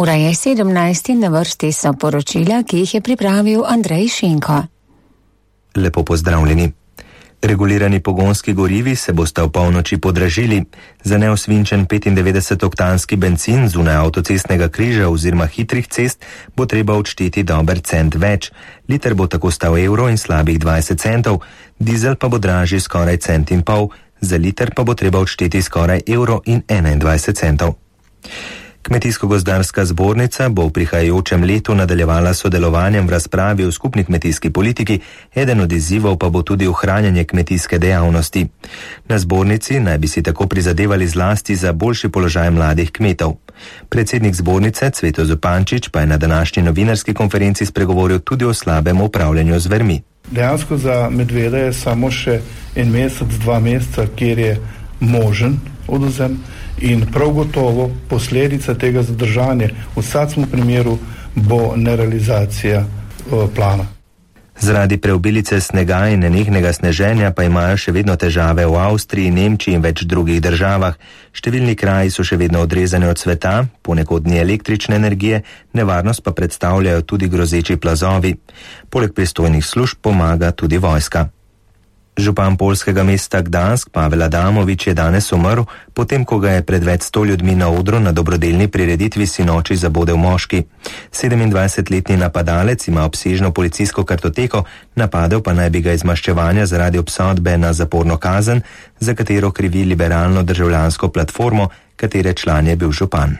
Ura je 17 in na vrsti so poročila, ki jih je pripravil Andrej Šinko. Lepo pozdravljeni. Regulirani pogonski gorivi se bosta v polnoči podražili. Za neosvinčen 95-oktanski bencin zunaj avtocestnega križa oziroma hitrih cest bo treba odšteti dober cent več. Liter bo tako stal evro in slabih 20 centov, dizel pa bo dražji skoraj cent in pol, za liter pa bo treba odšteti skoraj evro in 21 centov. Kmetijsko-gozdarska zbornica bo v prihajajočem letu nadaljevala sodelovanjem v razpravi o skupni kmetijski politiki, eden od izzivov pa bo tudi ohranjanje kmetijske dejavnosti. Na zbornici naj bi si tako prizadevali zlasti za boljši položaj mladih kmetov. Predsednik zbornice Cveto Zupančič pa je na današnji novinarski konferenci spregovoril tudi o slabem upravljanju z zvermi. Dejansko za medveda je samo še en mesec, 2 meseca, kjer je možen odvzem. In prav gotovo posledica tega zadržanja v vsakem primeru bo nerealizacija plana. Zaradi preobilice snega in nenehnega sneženja pa imajo še vedno težave v Avstriji, Nemčiji in več drugih državah. Številni kraji so še vedno odrezani od sveta, ponekod ni električne energije, nevarnost pa predstavljajo tudi grozeči plazovi. Poleg pristojnih služb pomaga tudi vojska. Župan poljskega mesta Gdansk Pavel Adamovič je danes umrl, potem ko ga je pred več 100 ljudmi na odru na dobrodelni prireditvi sinoči zabodel moški. 27-letni napadalec ima obsežno policijsko kartoteko, napadel pa naj bi ga iz maščevanja zaradi obsodbe na zaporno kazen, za katero krivi liberalno državljansko platformo, katere član je bil župan.